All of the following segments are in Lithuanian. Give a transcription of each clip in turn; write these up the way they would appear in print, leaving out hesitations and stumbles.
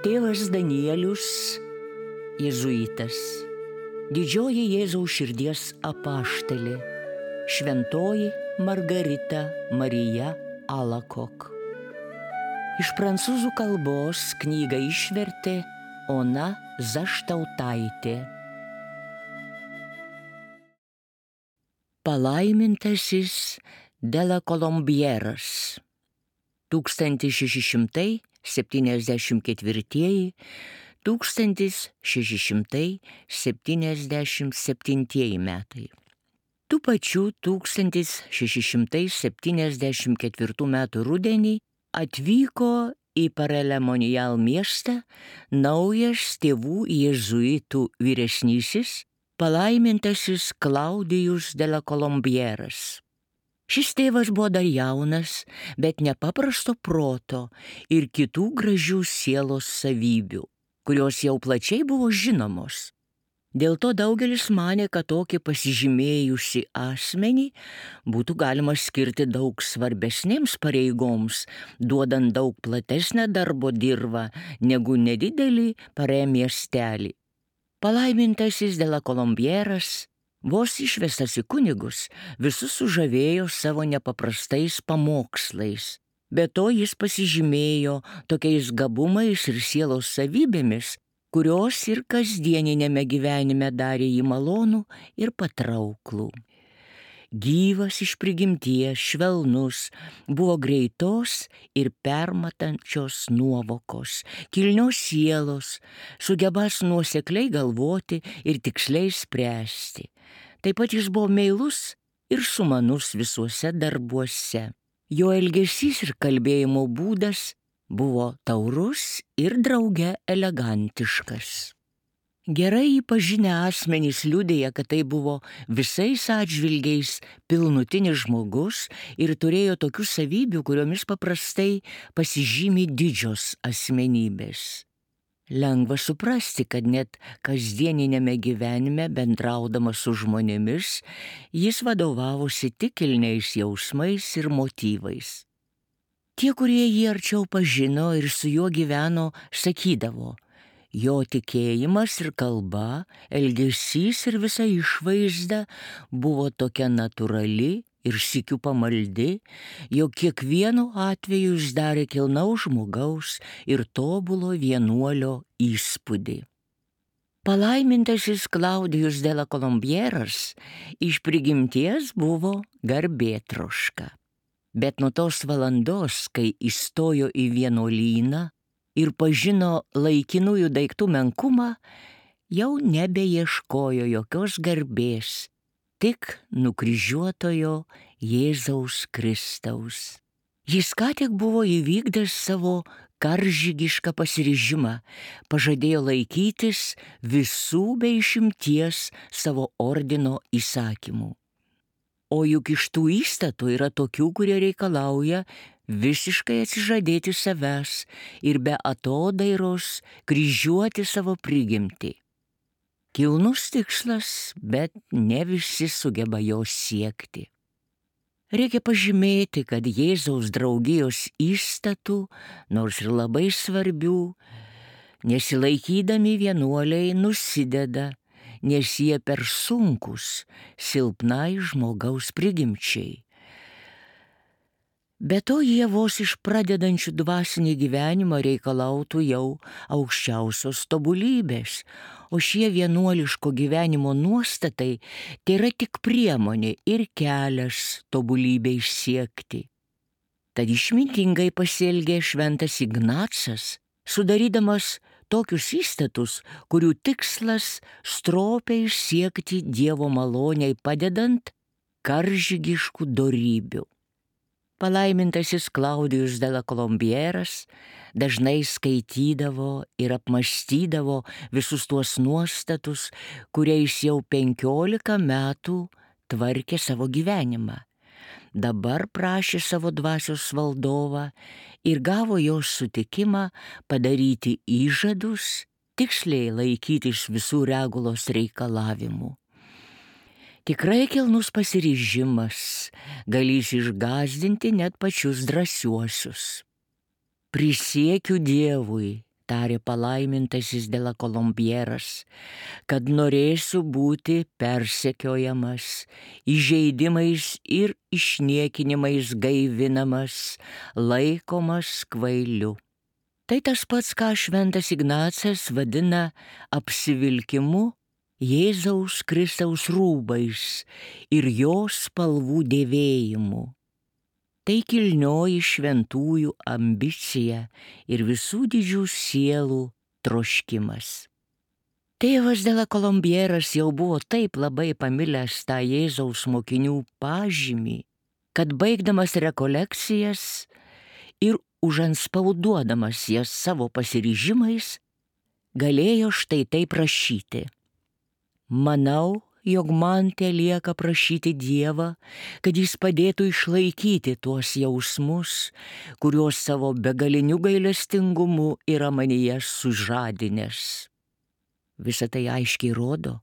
Tėvas Danielius, jėzuitas, didžioji Jėzaus širdies apaštalė, šventoji Margarita Marija Alakok. Iš prancūzų kalbos knygą išvertė Ona Zaštautaitė. Palaimintasis de la Colombieras 1674–1677 metai. Tų pačių 1674 metų rudenį atvyko į Parelemonial miestą naujas tėvų jėzuitų vyresnysis, palaimintasis Klaudijus de la Colombieras. Šis tėvas buvo dar jaunas, bet nepaprasto proto ir kitų gražių sielos savybių, kurios jau plačiai buvo žinomos. Dėl to daugelis manė, kad tokį pasižymėjusi asmenį būtų galima skirti daug svarbesnėms pareigoms, duodant daug platesnę darbo dirvą negu nedidelį Parė miestelį. Palaimintasis de la Colombieras, vos išvestas į kunigus, visus sužavėjo savo nepaprastais pamokslais. Be to jis pasižymėjo tokiais gabumais ir sielos savybėmis, kurios ir kasdieninėme gyvenime darė jį malonų ir patrauklų. Gyvas iš prigimties, švelnus, buvo greitos ir permatančios nuovokos, kilnios sielos, sugebas nuosekliai galvoti ir tiksliai spręsti. Taip pat jis buvo meilus ir sumanus visuose darbuose. Jo elgesys ir kalbėjimo būdas buvo taurus ir drauge elegantiškas. Gerai jį pažinę asmenys liudija, kad tai buvo visais atžvilgiais pilnutinis žmogus ir turėjo tokių savybių, kuriomis paprastai pasižymi didžios asmenybės. Lengva suprasti, kad net kasdieninėme gyvenime, bendraudamas su žmonėmis, jis vadovavosi tik kilniais jausmais ir motyvais. Tie, kurie jį arčiau pažino ir su juo gyveno, sakydavo, jo tikėjimas ir kalba, elgesys ir visa išvaizda buvo tokia natūrali ir sykiu pamaldi, jog kiekvienu atveju jis darė kilnaus žmogaus ir tobulo vienuolio įspūdį. Palaimintasis Klaudijus de la Colombieras iš prigimties buvo garbėtroška. Bet nuo tos valandos, kai įstojo į vienuolyną ir pažino laikinųjų daiktų menkumą, jau nebeieškojo jokios garbės, tik nukryžiuotojo Jėzaus Kristaus. Jis ką tik buvo įvykdęs savo karžygišką pasiryžimą, pažadėjo laikytis visų be išimties savo ordino įsakymų. O juk iš tų įstatų yra tokių, kurie reikalauja visiškai atsižadėti savęs ir be atodairos kryžiuoti savo prigimtį. Kilnus tikslas, bet ne visi sugeba jo siekti. Reikia pažymėti, kad Jėzaus draugijos įstatų, nors ir labai svarbių, nesilaikydami vienuoliai nusideda, nes jie per sunkus silpnai žmogaus prigimčiai. Be to jie vos iš pradedančių dvasinį gyvenimą reikalautų jau aukščiausios tobulybės, o šie vienuoliško gyvenimo nuostatai tai yra tik priemonė ir kelias tobulybei siekti. Tad išmintingai pasielgė šventas Ignacas, sudarydamas tokius įstatus, kurių tikslas stropiai siekti Dievo maloniai padedant karžygiškų dorybių. Palaimintasis Klaudijus de la Colombieras dažnai skaitydavo ir apmąstydavo visus tuos nuostatus, kuriais jau 15 metų tvarkė savo gyvenimą. Dabar prašė savo dvasios valdovą ir gavo jos sutikimą padaryti įžadus, tiksliai laikytis visų regulos reikalavimų. Tikrai kilnus pasiryžimas galės išgąsdinti net pačius drąsiuosius. Prisiekiu Dievui, tarė palaimintasis de la Colombieras, kad norėsiu būti persekiojamas, įžeidimais ir išniekinimais gaivinamas, laikomas kvailiu. Tai tas pats, ką šventas Ignacas vadina apsivilkimu Jėzaus Kristaus rūbais ir jo spalvų dėvėjimu. Tai kilnioji šventųjų ambicija ir visų didžių sielų troškimas. Tėvas de la Colombieras jau buvo taip labai pamilęs tą Jėzaus mokinių pažymį, kad baigdamas rekolekcijas ir užanspauduodamas jas savo pasiryžimais, galėjo štai taip prašyti. Manau, jog man telieka prašyti Dievą, kad jis padėtų išlaikyti tuos jausmus, kuriuos savo begaliniu gailestingumu yra manyje sužadinęs. Visa tai aiškiai rodo,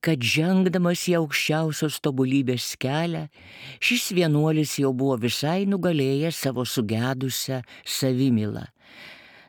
kad žengdamas į aukščiausios tobulybės kelią, šis vienuolis jau buvo visai nugalėjęs savo sugedusią savimylą.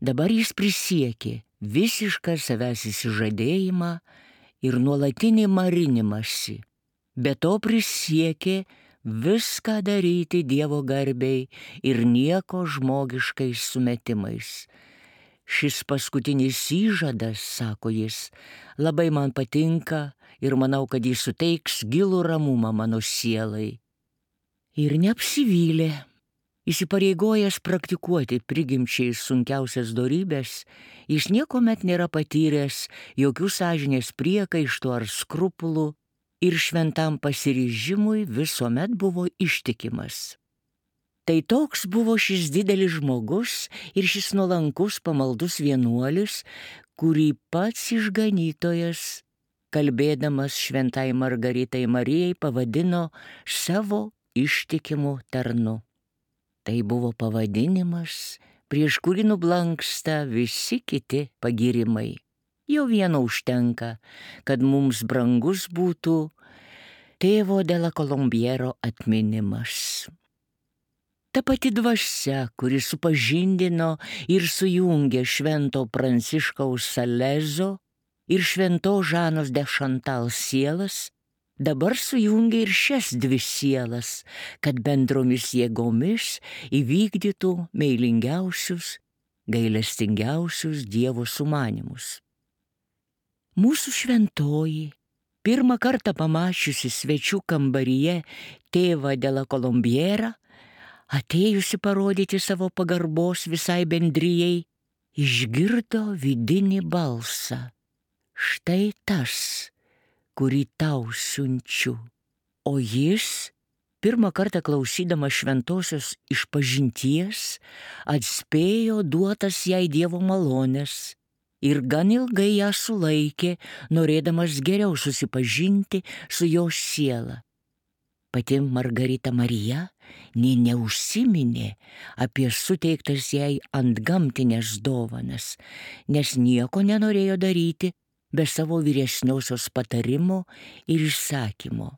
Dabar jis prisiekė visišką savęs įsižadėjimą ir nuolatinį marinimąsi. Be to prisiekė viską daryti Dievo garbei ir nieko žmogiškais sumetimais. Šis paskutinis įžadas, sako jis, labai man patinka ir manau, kad jis suteiks gilų ramumą mano sielai. Ir neapsivylė. Įsipareigojęs praktikuoti prigimčiai sunkiausias dorybes, jis niekuomet nėra patyręs jokių sąžinės priekaištų ar skrupulų ir šventam pasiryžimui visuomet buvo ištikimas. Tai toks buvo šis didelis žmogus ir šis nuolankus pamaldus vienuolis, kurį pats išganytojas, kalbėdamas šventai Margaritai Marijai, pavadino savo ištikimu tarnu. Tai buvo pavadinimas, prieš kurį nublanksta visi kiti pagyrimai. Jau vieno užtenka, kad mums brangus būtų tėvo de la Colombiero atminimas. Ta pati dvasia, kuri supažindino ir sujungė švento Pranciškaus Salezo ir švento Žanos de Chantal sielas, dabar sujungė ir šias dvi sielas, kad bendromis jėgomis įvykdytų meilingiausius, gailestingiausius Dievo sumanymus. Mūsų šventoji, pirmą kartą pamačiusi svečių kambaryje tėvą de la Colombierą, atėjusi parodyti savo pagarbos visai bendrijai, išgirdo vidinį balsą. Štai tas, kurį tau siunčiu. O jis, pirmą kartą klausydamas šventosios išpažinties, atspėjo duotas jai Dievo malonės ir gan ilgai ją sulaikė, norėdamas geriau susipažinti su jos siela. Pati Margarita Marija nė neužsiminė apie suteiktas jai antgamtinės dovanas, nes nieko nenorėjo daryti be savo vyresniosios patarimo ir išsakymo.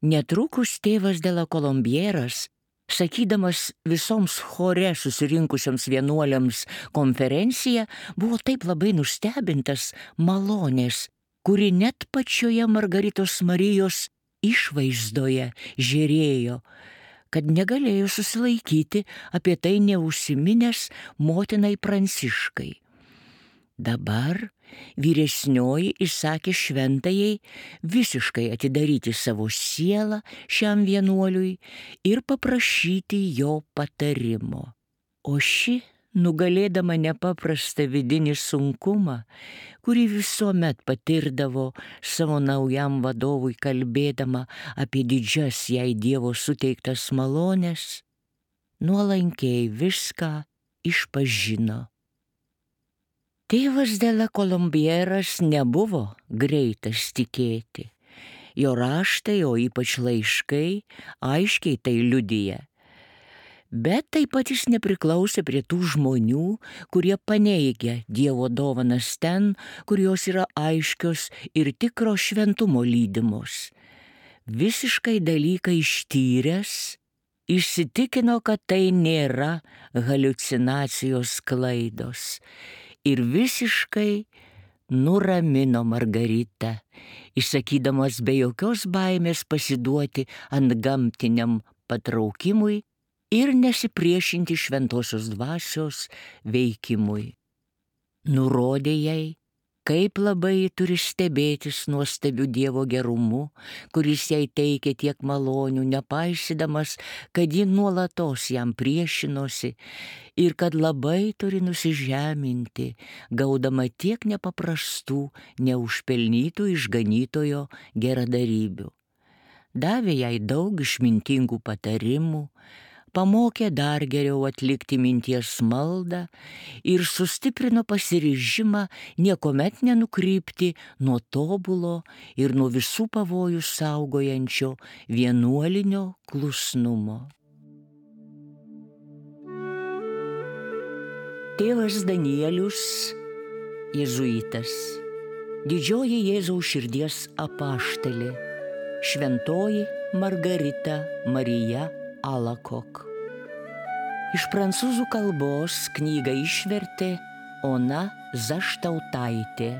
Netrukus tėvas de la Colombieras, sakydamas visoms chore susirinkusioms vienuoliams konferenciją, buvo taip labai nustebintas malonės, kuri net pačioje Margaritos Marijos išvaizdoje žėrėjo, kad negalėjo susilaikyti apie tai neužsiminęs motinai Pranciškai. Dabar vyresnioji įsakė šventajai visiškai atidaryti savo sielą šiam vienuoliui ir paprašyti jo patarimo. O ši, nugalėdama nepaprastą vidinį sunkumą, kurį visuomet patirdavo savo naujam vadovui kalbėdama apie didžias jai Dievo suteiktas malonės, nuolankiai viską išpažino. Tėvas de la Colombieras nebuvo greitas tikėti. Jo raštai, o ypač laiškai, aiškiai tai liudija. Bet taip pat jis nepriklausė prie tų žmonių, kurie paneigia Dievo dovanas ten, kur jos yra aiškios ir tikro šventumo lydimos. Visiškai dalyką ištyręs, įsitikino, kad tai nėra haliucinacijos klaidos ir visiškai nuramino Margaritą, išsakydamas be jokios baimės pasiduoti antgamtiniam patraukimui ir nesipriešinti šventosios dvasios veikimui. Nurodė jai, kaip labai turi stebėtis nuostabiu Dievo gerumu, kuris jai teikė tiek malonių, nepaisydamas, kad ji nuolatos jam priešinosi ir kad labai turi nusižeminti, gaudama tiek nepaprastų, neužpelnytų išganytojo geradarybių. Davė jai daug išmintingų patarimų, pamokė dar geriau atlikti minties maldą ir sustiprino pasiryžimą niekuomet nenukrypti nuo tobulo ir nuo visų pavojų saugojančio vienuolinio klusnumo. Tėvas Danielius, jėzuitas, didžioji Jėzaus širdies apaštalė, šventoji Margarita Marija Alacoque. Iš prancūzų kalbos knygą išvertė Ona Zaštautaitė.